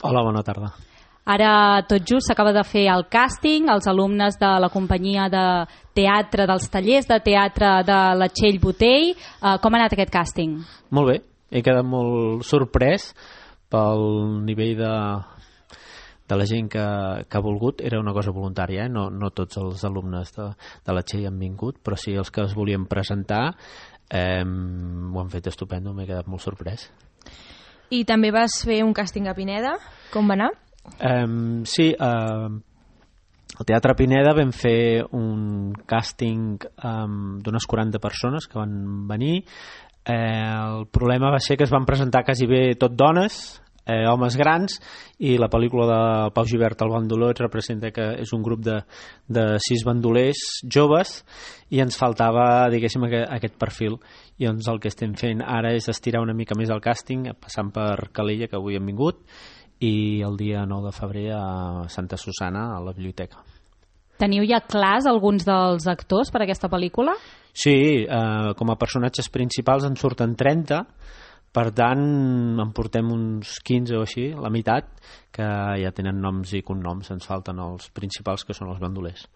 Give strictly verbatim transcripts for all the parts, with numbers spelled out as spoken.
Hola, bona tarda. Ara tot just s'acaba de fer el càsting, els alumnes de la companyia de teatre, dels tallers de teatre de la Txell Botell. Uh, com ha anat aquest càsting? Molt bé, he quedat molt sorprès pel nivell de, de la gent que, que ha volgut. Era una cosa voluntària, eh? no, no tots els alumnes de, de la Txell han vingut, però sí els que es volien presentar eh, ho han fet estupendo, m'he quedat molt sorprès. I també vas fer un càsting a Pineda, com va anar? Um, sí, uh, al Teatre Pineda vam fer un càsting um, d'unes quaranta persones que van venir. Eh, el problema va ser que es van presentar quasi bé tot dones, eh, homes grans, i la pel·lícula de Pau Gibert, El bandoló, et representa que és un grup de, de sis bandolers joves i ens faltava, diguéssim, aquest perfil. I doncs el que estem fent ara és estirar una mica més el càsting, passant per Calella, que avui hem vingut, i el dia nou de febrer a Santa Susana, a la biblioteca. Teniu ja clars alguns dels actors per a aquesta pel·lícula? Sí, eh, com a personatges principals en surten trenta, per tant en portem uns quinze o així, la meitat, que ja tenen noms i cognoms. Ens falten els principals, que són els bandolers.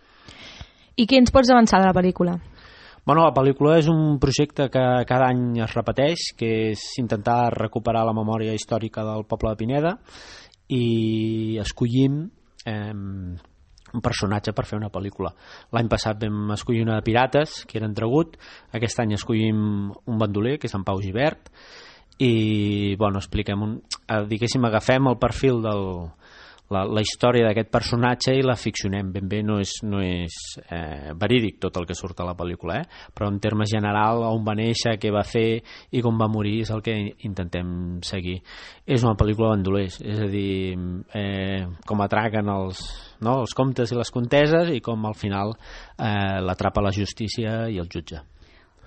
I què ens pots avançar de la pel·lícula? Bueno, la pel·lícula és un projecte que cada any es repeteix, que és intentar recuperar la memòria històrica del poble de Pineda, i escollim eh, un personatge per fer una pel·lícula. L'any passat vam escollir una de pirates, que era Entregut. Aquest any escollim un bandoler, que és en Pau Gibert, i bueno, expliquem un, diguéssim, agafem el perfil del La, la història d'aquest personatge i la ficcionem ben bé. No és, no és eh, verídic tot el que surt a la pel·lícula, eh? Però en termes general, on va néixer, què va fer i com va morir és el que intentem seguir. És una pel·lícula de bandolers, és a dir, eh, com atraquen els, no, els comptes i les conteses, i com al final eh, l'atrapa la justícia i el jutge.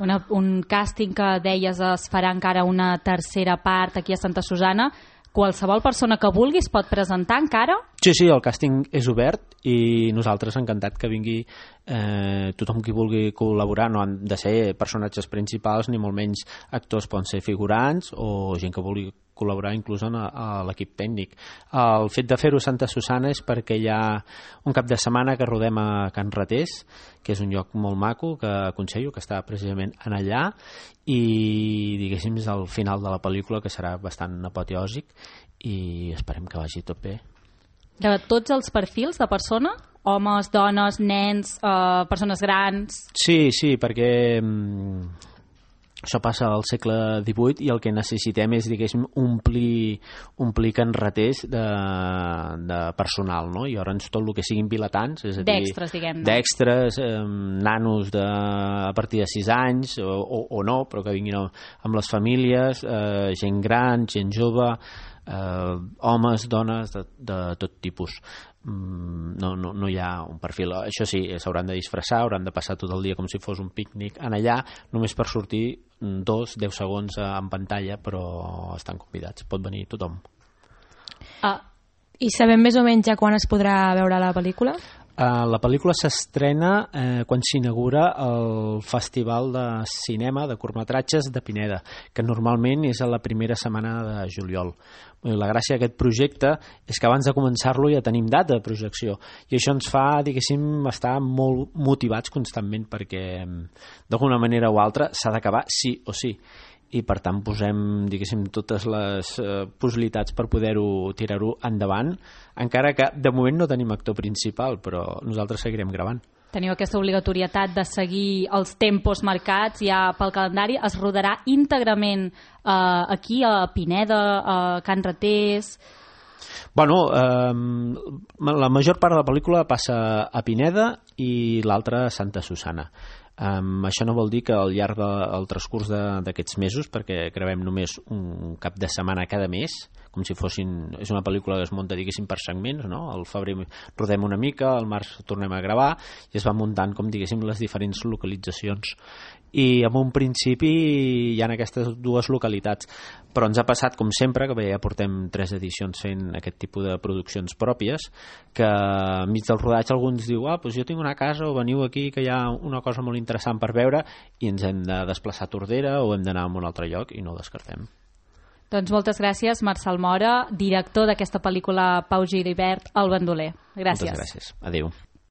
Una, un càsting que deies es farà encara una tercera part aquí a Santa Susana. Qualsevol persona que vulgui es pot presentar encara? Sí, sí, el càsting és obert i nosaltres encantat que vingui eh, tothom qui vulgui col·laborar. No han de ser personatges principals ni molt menys actors, poden ser figurants o gent que vulgui col·laborar inclús en a, a l'equip tècnic. El fet de fer-ho a Santa Susana és perquè hi ha un cap de setmana que rodem a Can Ratés, que és un lloc molt maco que aconsello, que està precisament en allà, i diguéssim és el final de la pel·lícula, que serà bastant apoteòsic, i esperem que vagi tot bé. De tots els perfils de persona? Homes, dones, nens, eh, persones grans? Sí, sí, perquè mm, això passa al segle divuit i el que necessitem és, diguéssim, omplir, omplir Can Ratés de, de personal, no? I llavors tot el que siguin vilatans, és a dir, d'extres, diguem-ne. D'extres, eh, nanos de, a partir de sis anys, o, o, o no, però que vinguin amb les famílies, eh, gent gran, gent jove, eh, homes, dones, de, de tot tipus. No, no, no hi ha un perfil. Això sí, s'hauran de disfressar, hauran de passar tot el dia com si fos un pícnic en allà, només per sortir dos, deu segons en pantalla, però estan convidats, pot venir tothom. Ah, I sabem més o menys ja quan es podrà veure la pel·lícula? Uh, la pel·lícula s'estrena eh, quan s'inaugura el Festival de Cinema de Curtmetratges de Pineda, que normalment és a la primera setmana de juliol. La gràcia d'aquest projecte és que abans de començar-lo ja tenim data de projecció, i això ens fa, diguéssim, estar molt motivats constantment, perquè d'alguna manera o altra s'ha d'acabar sí o sí, i per tant posem, diguéssim, totes les eh, possibilitats per poder-ho tirar-ho endavant, encara que de moment no tenim actor principal, però nosaltres seguirem gravant. Teniu aquesta obligatorietat de seguir els tempos marcats ja pel calendari. Es rodarà íntegrament eh, aquí a Pineda, a Can Ratés? Bueno, eh, la major part de la pel·lícula passa a Pineda i l'altra a Santa Susana. Um, això no vol dir que al llarg del transcurs d'aquests mesos, perquè gravem només un cap de setmana cada mes, com si fossin... És una pel·lícula que es munta, diguéssim, per segments, no? Al febrer rodem una mica, al març tornem a gravar, i es va muntant, com diguéssim, les diferents localitzacions. I en un principi hi ha aquestes dues localitats, però ens ha passat, com sempre, que bé, ja portem tres edicions fent aquest tipus de produccions pròpies, que enmig del rodatge alguns diu, ah, doncs jo tinc una casa, o veniu aquí, que hi ha una cosa molt interessant per veure, i ens hem de desplaçar a Tordera o hem d'anar a un altre lloc, i no ho descartem. Doncs moltes gràcies, Marçal Mora, director d'aquesta pel·lícula Pau Gilibert, El bandoler. Gràcies. Moltes gràcies. Adéu.